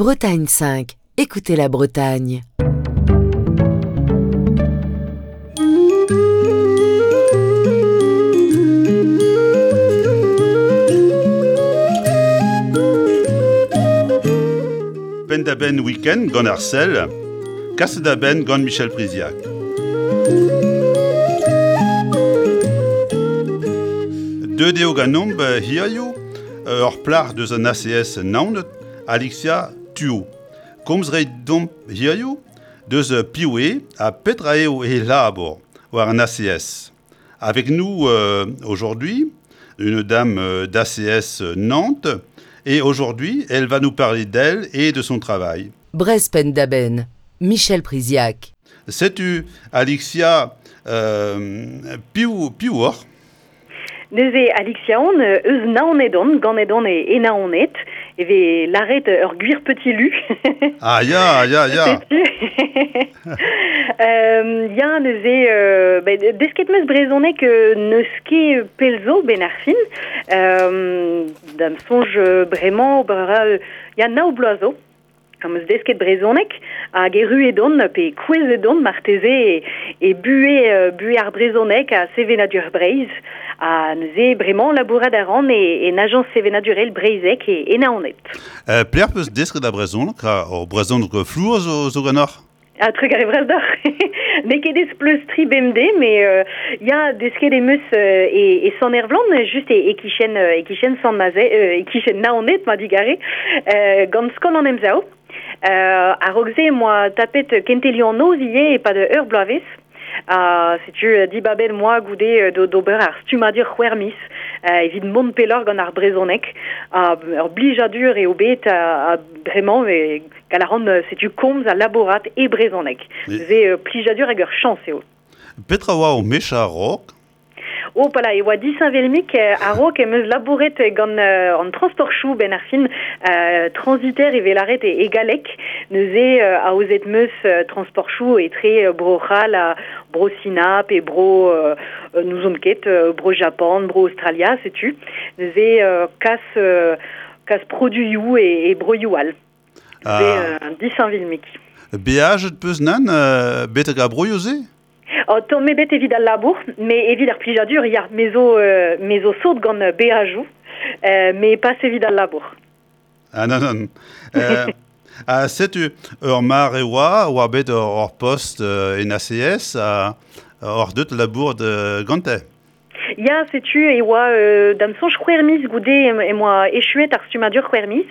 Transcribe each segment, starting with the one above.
Bretagne 5, écoutez la Bretagne. Penn-da-benn week-end gant ar sell, kaset da benn gant Michel Priziac. Deuet eo ganeomp hiziv ur plac'h deus an ACS Naoned, Alexia Tuo. Komz reit domp hiziv deus piv eo ha petra eo he labour war an ACS. Avec nous aujourd'hui, une dame d'ACS Nantes et aujourd'hui, elle va nous parler d'elle et de son travail. Brest Penn-da-Benn, Michel Priziac. Setu Alexia euh, piv, piv oc'h? Neuze Alexia on eus Naoned on, ganet on e, e Naoned, e vez lâret ur gwir petit lu. Ah ya, ya, ya. Setu. euh, ya, neuze, euh, ben, desket 'meus brezhoneg euh, n'eus ket pell zo 'benn ar fin. Euh, da'm soñj bremañ ober a ra ya nav bloaz zo. Am eus desket brezhoneg hag erruet on pe kouezhet on marteze e, e buhez, buhez ar brezhoneg ha sevenadur Breizh. Ha neuze bremañ labourat a ran e, en ajañs sevenadurel breizhek e, e Naoned. Euh, pelec'h peus desket ar brezhoneg? Ar brezhoneg flour zo, zo ganeoc'h? Ha trugarez vras deoc'h. N'eo ket aes pleustriñ bemdez, mais euh, ya, desket em eus euh, e, e Sant-Ervlan, just e, e-kichen, euh, e-kichen Sant-Maze, euh, e-kichen Naoned, ma digare, euh, gant Skol an Emsav. Euh, a-raok se em boa tapet kentelioù an noz ivez e-pad ur bloavezh. Ha setu dibabet em boa goude d'ober ar stummadur c'hwec'h miz evit mont pelloc'h gant ar brezhoneg. Ha ur blijadur eo bet ha bremañ e Gall a ran setu komz ha labourat e brezhoneg. Se plijadur hag ur chañs eo. Petra oa ho mech a-raok? Oh, pala, e oa disheñvel-mik a-raok em eus labouret gant an transportchoù benn ar fin transitaire e vez lâret e, e galleg. Neuze aozet 'm eus transportchoù etre Bro-C'hall ha Bro-Sina pe Bro n'ouzon ket, Bro-Japan, Bro-Australia, setu. Neuze kas kas produioù e, e broioù all. Ah. disheñvel-mik. Beajet peus nann euh, betek ar broioù-se? Oh, tamm ebet evit al labour, mais evit ar plijadur, ya, me zo, euh, me zo sot gant beajoù, euh, mais pas evit al labour. Ah non, non. Euh, ha setu ur mare oa, oa bet ur post euh, en ACS, ha oc'h deut labour de gante. Ya, setu e oa euh, da'm soñj c'hwec'h miz goude em boa echuet ar stummadur c'hwec'h miz.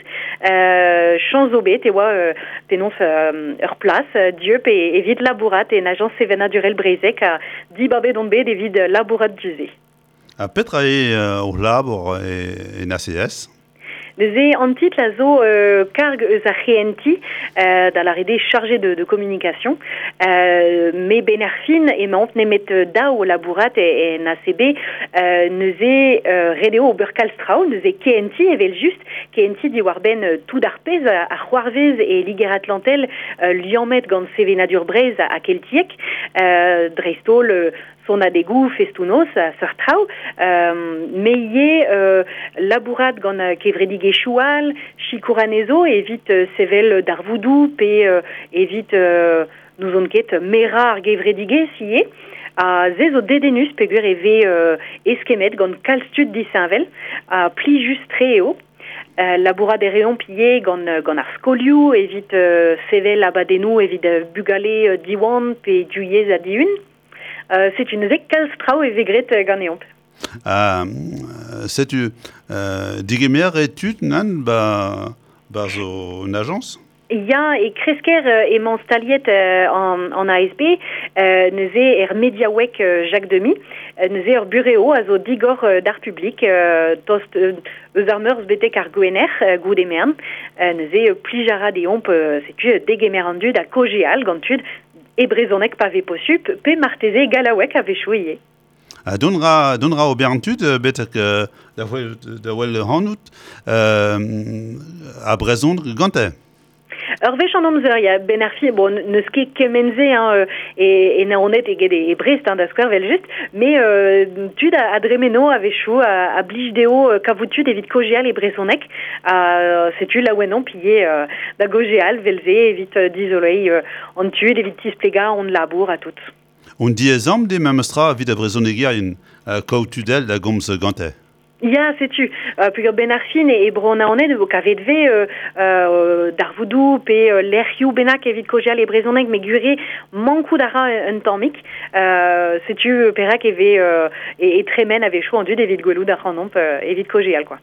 Euh, chañs zo bet e oa euh, penaos euh, ur plas dieub e, evit labourat en ajañs sevenadurel breizhek ha dibabet on bet evit labourat du-se. Ha petra eo ho labour e, en ACS? Neuze an titl a zo euh, karg eus ar c'hehentiñ, euh, da lâret eo chargé de, de communication. Euh, me benn ar fin emaomp nemet daou o labourat en ACB. Euh, neuze euh, ret eo ober kalz traoù, neuze kehentiñ evel-just, kehentiñ diwar-benn tout ar pezh a c'hoarvez e Liger-Atlantel liammet gant sevenadur Breizh ha keltiek, euh, dreist-holl sonadegoù, festoù-noz, seurt traoù. Me ivez labourat gant kevredigezhioù all, sikour anezho evit sevel darvoudoù pe evit n'ouzon ket merañ ar gevredigezh ivez. Ha se zo dedennus peogwir e vez eskemmet gant kalz tud disheñvel ha plijus-tre eo. Labourat e reomp ivez gant, gant ar skolioù evit sevel abadennoù evit bugale Diwan pe Duyez ha Dihun. Euh, setu neuze kalz traoù e vez graet euh, ganeomp. Ah, setu euh, digemer e tud nan ba, ba zo un ajañs? Ya, e kresker emañ staliet an, an ASB, neuze er mediaoueg Jacques Demy, neuze ur burev a zo digor d'ar publik, tost eus ar meurzh betek ar gwener goude mern. Neuze plij a ra deomp, setu degemer an dud ha kaozeal gant tud E brezhoneg pa vez posupl, pe marteze e gallaoueg a-wechoù ivez. Ha dont ra, dont ra ober an tud betek da wel, da wel hanout a brezhoneg gante? Ur wech an amzer, ya, ben ar fi, bon, neus ket kement-se, hein, e Naoned eget e Brest, hein, da skouer vel just, mais tud a dremeno a-wechoù, a blij dezho kavout tud evit kaozeal e brezhoneg, setu laouen omp ivez da gaozeal vel-se evit dizoleiñ an tud, evit tisplegañ hon labour ha tout. Un diaes-amp eo memes tra evit ar brezhonegerien kaout tud all da gomz gante. Ya, setu. Peogwir 'benn ar fin e Bro-Naoned e vo kavet 'vez darvoudoù pe lec'hioù bennak evit kaozeal e brezhoneg, met gwir eo mankout a ra un tammig. Setu perak e vez e tremen a-wechoù an dud evit gwelout ac'hanomp evit kaozeal kwa.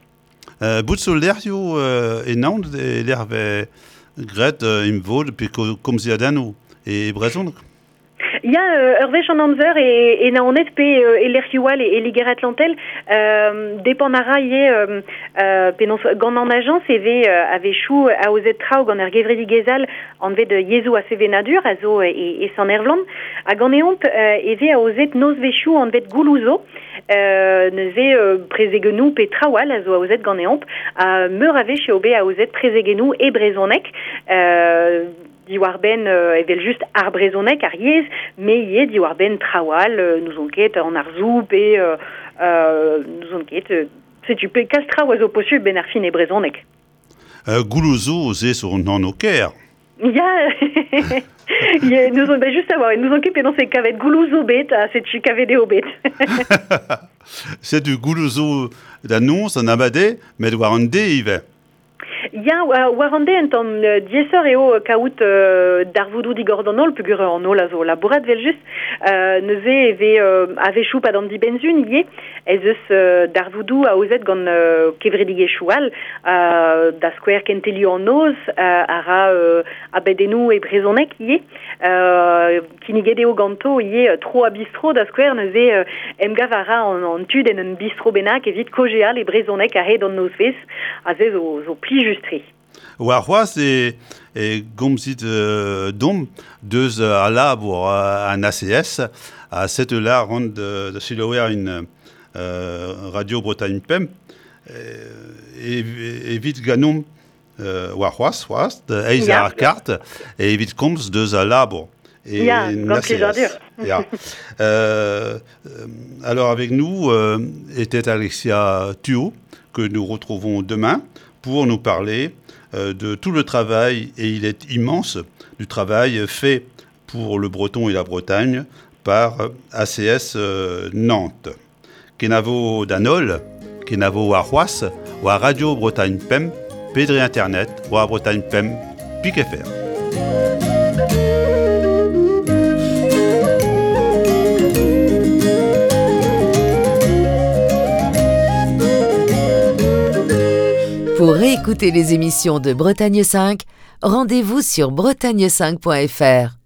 Bout zo lec'hioù e Naoned e lec'h 'vez graet emvod pe komziadennoù e brezhoneg? Ya, ur wech an amzer e Naoned pe e lec'hioù all e Liger-Atlantel. Depend a ra ivez penaos gant an ajañs e vez a-wechoù aozet traoù gant ur gevredigezh all anvet Yezhoù ha Sevenadur a zo e Sant-Ervlan. Ha ganeomp e vez aozet nozvezhioù anvet Gouloù zo. Neuze prezegennoù pe traoù all a zo aozet ganeomp. Ha meur a wech eo bet aozet prezegennoù e brezhoneg. Diwar-benn evel-just ar brezhoneg, ar yezh, met ivez diwar-benn traoù all, n'ouzon ket, an arzoù pe n'ouzon ket, setu pe kalz traoù a zo posubl 'benn ar fin e brezhoneg. Gouloù zo se zo an anv kêr. Ya, n'ouzon bet just a-walc'h, n'ouzon ket penaos eo kavet gouloù zo bet ha setu kavet eo bet. Setu gouloù zo da noz an abadenn, met war an deiz ivez. Ya, war an deiz un tamm diaesoc'h eo kaout darvoudoù digor d'an holl peogwir an holl a zo labourat evel-just. Neuze e vez a-wechoù 'pad an dibenn-sizhun ivez ez eus darvoudoù aozet gant kevredigezhioù all, da skouer Kentelioù an Noz a ra abadennoù e brezhoneg ivez. Kinniget eo ganto ivez tro ha bistro da skouer, neuze emgav a ra an tud en un bistro bennak evit kaozeal e brezhoneg a-hed an nozvezh, ha se zo, zo plijus-tre. Warc'hoazh e, e gomzit domp deus al labour an ACS ha setu la ran da selaouerien Radio Bretagne Pemp evit ganeomp warc'hoazh c'hoazh da eizh ar kart evit komz deus al labour. Et ya, gant plijadur. Ya. Alors avec nous était Alexia Thuot, que nous retrouvons demain pour nous parler de tout le travail, et il est immense, du travail fait pour le breton et la Bretagne par ACS Nantes. Kenavo d'an holl, kenavo warc'hoazh war Radio Bretagne Pemp pe dre internet war Bretagne Pemp pik fr. Pour réécouter les émissions de Bretagne 5, rendez-vous sur bretagne5.fr.